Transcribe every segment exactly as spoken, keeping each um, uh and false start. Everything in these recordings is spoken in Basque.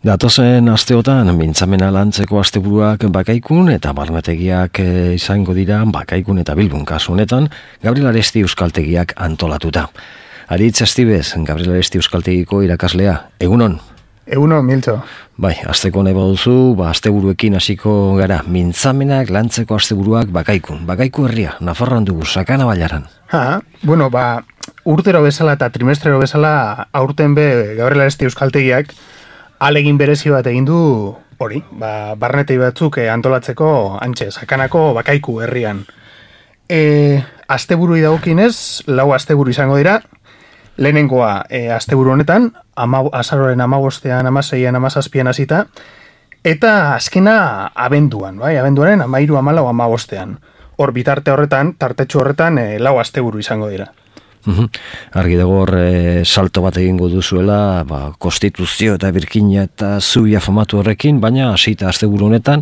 Datozen asteotan mintzamena lantzeko asteburuak Bakaikun eta barnetegiak izango dira Bakaikun eta Bilbon kasu honetan Gabriel Aresti Euskaltegiak antolatuta. Aritz Astibez, Gabriel Aresti Euskaltegiko irakaslea. Egunon? Egunon, Miltxo. Bai, asteko nahi baduzu, ba, asteburuekin hasiko gara. Mintzamenak lantzeko asteburuak Bakaikun. Bakaiku herria, Nafarroan dugu, Sakana Bailaran. Ha, bueno, ba, urtero bezala eta trimestrero bezala aurten be Gabriel Aresti Euskaltegiak alegin berezi bat egin du hori, ba, barnetei batzuk antolatzeko antxe, Sakanako Bakaiku herrian. E, asteburu dagokinez, lau asteburu izango dira, lehenengoa e, asteburu honetan, ama, azaroren amabostean, amaseian, amazazpian hasita, eta azkena abenduan, bai, abenduaren amairu amalau amabostean. Hor bitarte horretan, tartetxo horretan, e, lau asteburu izango dira. Uhum. Argi dago hor e, salto bat egingo duzuela, ba, konstituzio eta birkina eta zubia famatu horrekin, baina hasita asteburu honetan,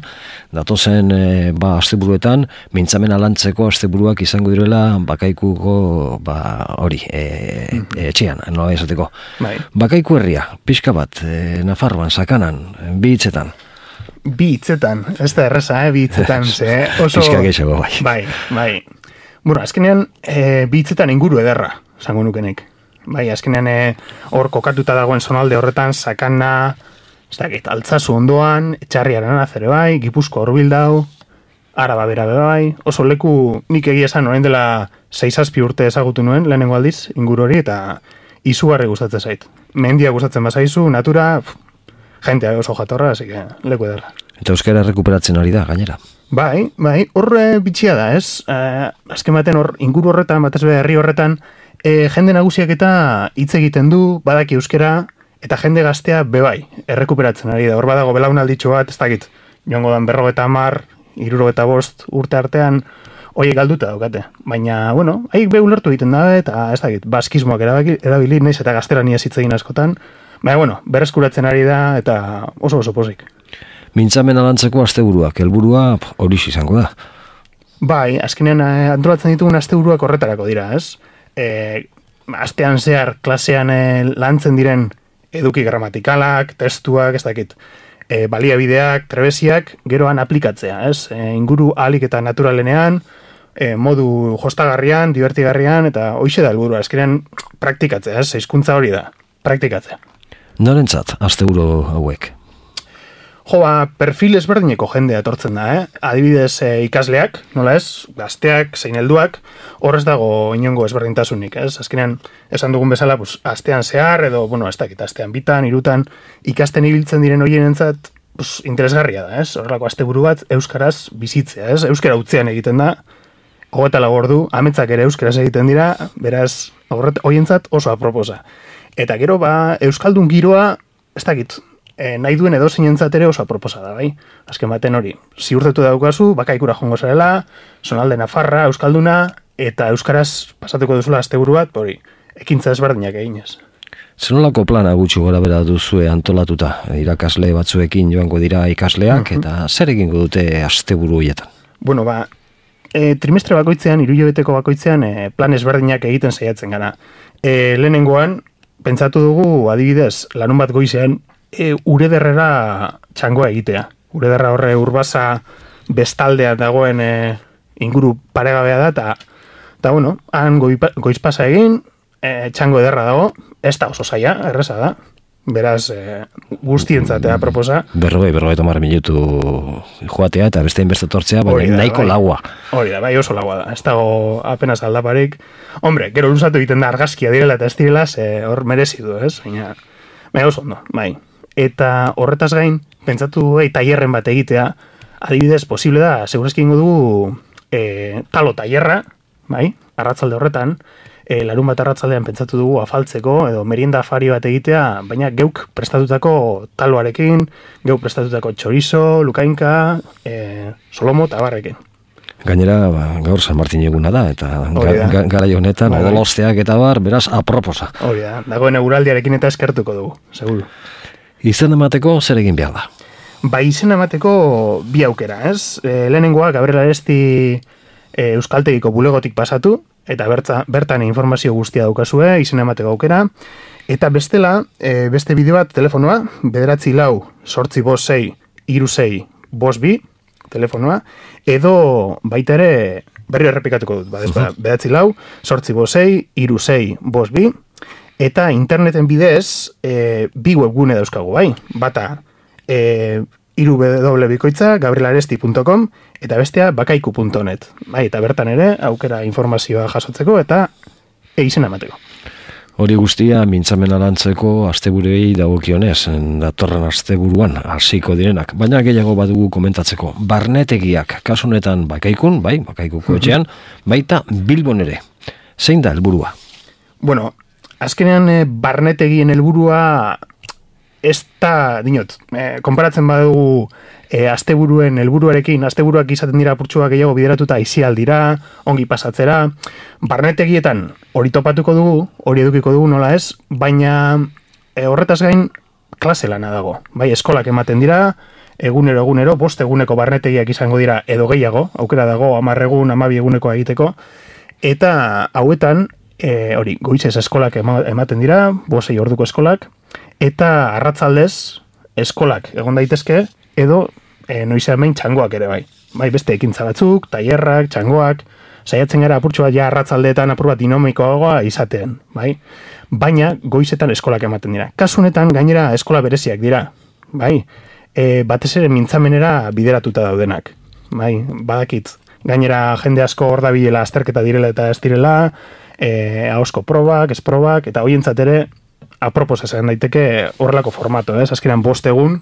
datozen e, ba, asteburuetan, mintzamena lantzeko asteburuak izango direla Bakaikuko ba, hori, e, e, etxean, nola esateko. Bai. Bakaiku herria, pixka bat, e, Nafarroan, Sakanan, bi hitzetan. Bi hitzetan, ez da erreza, eh, bi hitzetan, ze oso... Pixka gehiago, bai. Bai, bai. Bueno, azkenean, e, bi hitzetan inguru ederra, esango nukenek. Bai, azkenean hor e, kokatuta dagoen zonalde horretan, Sakana, ez dakit, Altzazu ondoan, Etxarriaren azere bai, Gipuzko Horbildau, Araba bera bai, oso leku nik egia esan orain dela sei zazpi urte ezagutu nuen, lehenengo aldiz, inguru hori, eta izugarri gustatzen zait. Mendia gustatzen bazaizu, natura, pff, jentea oso jatorra, así que leku ederra. Eta euskara rekuperatzen ari da, gainera. Bai, bai, horre bitxia da, ez? Eh, azken baten hor, inguru horretan, batez be herri horretan, eh, jende nagusiak eta hitz egiten du, badaki euskera, eta jende gaztea bebai, errekuperatzen ari da. Hor badago belaunalditxo bat, ez dakit, joango dan berrogeta hamar, hirurogeta bost urte artean, horiek galduta daukate. Baina, bueno, haiek be ulertu egiten da, eta ez dakit, baskismoak erabaki, erabili naiz eta gaztelaniaz hitz egin askotan, baina, bueno, berreskuratzen ari da, eta oso oso pozik. Mintzamena lantzeko asteburuak, helburua hori izango da. Bai, azkenean antolatzen ditugun asteburuak horretarako dira, ez? E, astean zehar klasean e, lantzen diren eduki gramatikalak, testuak, ez dakit, e, baliabideak, trebesiak, geroan aplikatzea, ez? E, inguru ahalik eta naturalenean, e, modu jostagarrian, divertigarrian, eta hoixe da helburua, azkenean praktikatzea, ez? Hizkuntza hori da, praktikatzea. Norentzat asteburu hauek? Jo, ba, perfil ezberdineko jendea etortzen da, eh? Adibidez e, ikasleak, nola ez, gazteak, zein helduak, horrez dago inongo ezberdintasunik, ez? Azkenean, esan dugun bezala, pues, astean zehar, edo, bueno, ez dakit, astean bitan, hirutan, ikasten ibiltzen diren horienentzat, pues, interesgarria da, ez? Horrelako asteburu bat, euskaraz bizitzea, ez? Euskara utzean egiten da, hogeita lau ordu, ametsak ere euskaraz egiten dira, beraz, horientzat oso aproposa. Eta gero, ba, euskaldun giroa, ez dakit, E, nahi duen edo zinentzat ere oso aproposa da, bai? Azken baten hori, ziurtetu daukazu, Bakaikura jongo zarela, zonalde Nafarra, Euskalduna, eta Euskaraz pasatuko duzula asteburu bat, hori, ekintza ezberdinak eginez. Zenolako plana gutxi gora bera duzue antolatuta, irakasle batzuekin joango dira ikasleak, uh-huh. Eta zer egingo dute asteburu horietan? Bueno, ba, e, trimestre bakoitzean, hirulebeteko bakoitzean, e, plan ezberdinak egiten saiatzen gara. E, lehenengoan, pentsatu dugu, adibidez, larun bat goizean, E, urederrera txangoa egitea. Urederra horre urbasa bestaldea dagoen e, inguru paregabea da, eta, eta bueno, han goizpasa egin, e, txango ederra dago, ez da oso zaila, erreza da. Beraz, e, guztientzatea proposa. Berrogei, berrogei tomar minutu joatea, eta beste inbeste tortzea, baina nahiko bai, laua. Hori da, bai oso laua da. Ez dago apenas aldaparik. Hombre, gero luzatu egiten da argazkia direla eta ez direla, hor merezi du, ez? Baina, baina oso ondo, bai. Eta horretaz gain, pentsatu ei, tailerren bat egitea, adibidez, posible da, segurazki ingo dugu e, talo tailerra, bai, arratzalde horretan, e, larun bat arratzaldean pentsatu dugu afaltzeko, edo merienda afari bat egitea, baina geuk prestatutako taloarekin, geuk prestatutako txorizo, lukainka, e, solomo eta barrekin. Gainera, ba, gaur San Martin eguna da, eta ga, ga, gara honetan, odolosteak eta bar, beraz, aproposa. Hori da, dagoen eguraldiarekin eta eskertuko dugu, seguru. Izen emateko zer egin behar da? Ba, izen emateko bi aukera, ez? E, lehenengoa, Gabriel Aresti e, Euskaltegiko bulegotik pasatu, eta bertza, bertan informazio guztia daukazue, izen emateko aukera. Eta bestela, e, beste bideo bat telefonoa, bederatzi lau, sortzi bost sei, iru sei, bost bi, telefonoa, edo baita ere, berri errepikatuko dut, badez, uh-huh. bederatzi lau, sortzi bost sei, iru sei, bost bi, eta interneten bidez, e, bi webgune dauzkagu, bai, bata, e, iru w bikoitza, gabrielaresti punto com, eta bestea bakaiku punto net, bai, eta bertan ere, aukera informazioa jasotzeko, eta egizena emateko. Hori guztia mintzamen arantzeko asteburuei dagokionez, datorren asteburuan hasiko direnak, baina gehiago badugu komentatzeko. Barnetegiak, kasu honetan bakaikun, bai, bakaikuko etxean, baita Bilbon ere. Zein da helburua? Bueno, azkenean e, barnetegien helburua ez da, dinot, e, konparatzen badugu e, asteburuen helburuarekin, asteburuak izaten dira apurtxuak gehiago bideratuta aizialdira, ongi pasatzera, barnetegietan hori topatuko dugu, hori edukiko dugu nola ez, baina e, horretaz gain klase lana dago. Bai, eskolak ematen dira, egunero egunero, bost eguneko barnetegiak izango dira edo gehiago, aukera dago hamar egun, hamabi eguneko egiteko, eta hauetan, e, hori, goizez eskolak ematen dira, bosei orduko eskolak, eta arratzaldez eskolak egon daitezke, edo e, noizean behin txangoak ere bai. Bai, beste ekintza batzuk, tailerrak, txangoak, saiatzen gara apurtxo bat ja arratzaldeetan apur bat dinamikoagoa izaten, bai? Baina goizetan eskolak ematen dira. Kasu honetan gainera eskola bereziak dira, bai? E, batez ere mintzamenera bideratuta daudenak, bai? Badakit, gainera jende asko hor dabilela azterketa direla eta ez direla, e, ahozko probak, ez probak, eta hoientzat ere aproposa zen daiteke horrelako formato, ez? Azkenean bost egun,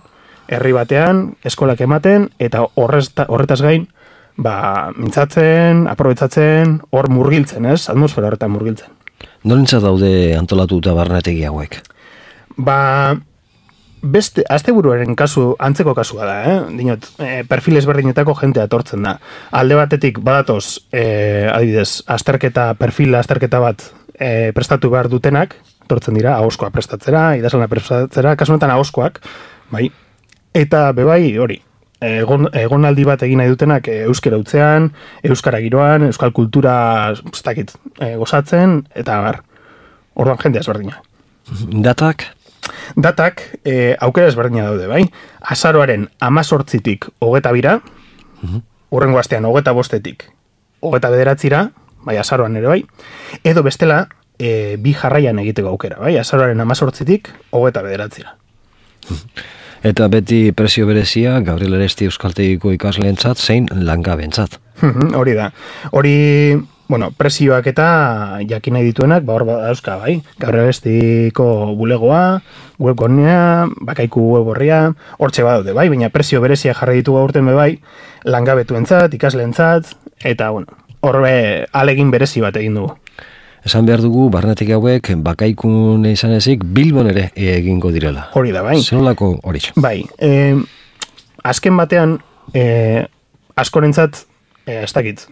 herri batean, eskolak ematen, eta horrez, horretaz gain, ba, mintzatzen, aprobetzatzen, hor murgiltzen, ez? Atmosfera horretan murgiltzen. Norentzat daude antolatuta barnetegi hauek? Ba, beste, asteburuaren kasu, antzeko kasua da, eh? Dinot, e, perfil ezberdinetako jentea etortzen da. Alde batetik, badatoz, e, adibidez, azterketa, perfil azterketa bat e, prestatu behar dutenak, etortzen dira, ahozkoa prestatzera, idazlana prestatzera, kasu honetan ahozkoak, bai, eta bebai, hori, egon, egonaldi bat egin nahi dutenak euskara utzean, euskara giroan, euskal kultura, ez dakit, e, gozatzen, eta bar, orduan jende ezberdina. Datak? Datak, e, aukera ezberdina daude, bai, azaroaren amazortzitik hogeta bira, uh-huh. urrengo astean hogeta bostetik hogeta bederatzira, bai, azaroan ere bai, edo bestela, E, bi jarraian egiteko aukera, bai? Azaroaren amazortzitik, hogeta bederatzira. Eta beti prezio berezia, Gabriel Aresti euskaltegiko ikasleentzat, zein langabentzat. Hori da. Hori, bueno, prezioak eta jakin nahi dituenak, ba hor dauzka, bai? Gabriel Arestiko bulegoa, webgonea, bakaiku web horria, hortxe badaude, bai? Baina prezio berezia jarri ditu gaurten be bai, langabetuentzat, ikasleentzat, eta, bueno, horre alegin berezi bat egin dugu. Esan behar dugu, barnetik hauek, bakaikun izan ezik, Bilbon ere egingo direla. Hori da, bai. Zenolako hori? Bai. E, azken batean, e, askorentzat, e, ez dakit,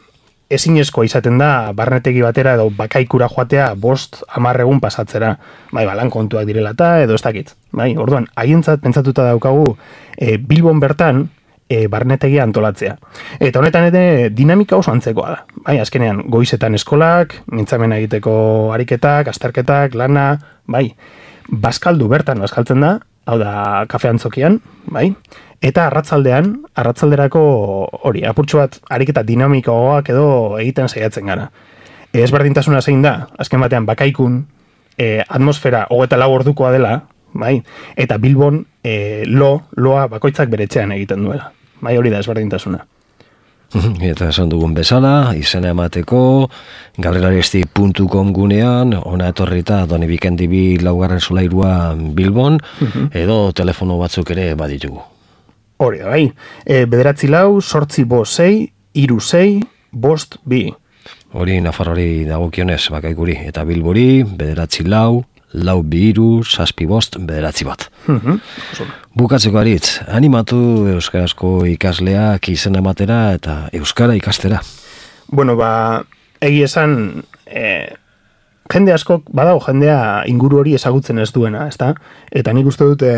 ezinezkoa izaten da, barnetegi batera edo bakaikura joatea bost hamar egun pasatzera. Bai, balan kontuak direla eta edo ez dakit. Bai, orduan, haientzat pentsatuta daukagu, e, Bilbon bertan, E, barnetegia antolatzea. Eta honetan ere dinamika oso antzekoa da. Bai, azkenean, goizetan eskolak, mintzamena egiteko ariketak, azterketak, lana, bai, bazkaldu bertan bazkaltzen da, hau da, kafe antzokian, bai, eta arratzaldean, arratzalderako hori, apurtxo bat ariketa dinamikoagoak edo egiten saiatzen gara. E, ezberdintasuna zein da, azken batean, bakaikun, e, atmosfera hogeta lau ordukoa dela, bai, eta Bilbon e, lo, loa bakoitzak beretzean egiten duela. Bai, hori da ezberdintasuna. Eta esan dugun bezala, izena emateko, gabrielaresti puntu com gunean, ona etorrita Doni Bikendibi laugarren solairua Bilbon, uh-huh. edo telefono batzuk ere baditugu. Hori da, bai. E, bederatzi lau, sortzi bost sei, iru sei, bost bi. Hori Nafarrori dagokionez bakaikuri, eta Bilbori, bederatzi lau, lau bi iru, zazpi bost, bederatzi bat. Uh-huh. Bukatzeko aritz, animatu euskarazko ikasleak izen ematera eta euskara ikastera. Bueno, ba, egi esan, e, jende askok, badago jendea inguru hori ezagutzen ez duena, ezta? Eta nik uste dute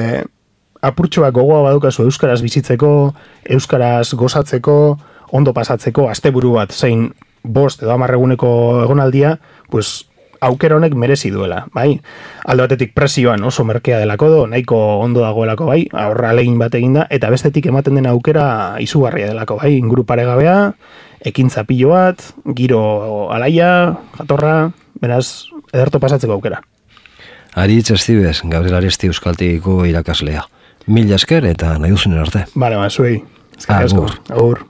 apurtxoak gogoa badukazu euskaraz bizitzeko, euskaraz gozatzeko, ondo pasatzeko, asteburu bat zein bost edo hamar eguneko egonaldia, pues aukera honek merezi duela, bai? Alde batetik presioan oso merkea delako do, nahiko ondo dagoelako, bai? Aurra alegin bat eginda, eta bestetik ematen den aukera izugarria delako, bai? Inguru paregabea, ekintza pilo bat, giro alaia, jatorra, beraz, ederto pasatzeko aukera. Aritz Estibes, Gabriel Aresti Euskaltegiko irakaslea. Mila esker eta nahi duzunen arte. Bale, ba, zuei. Agur. Agur.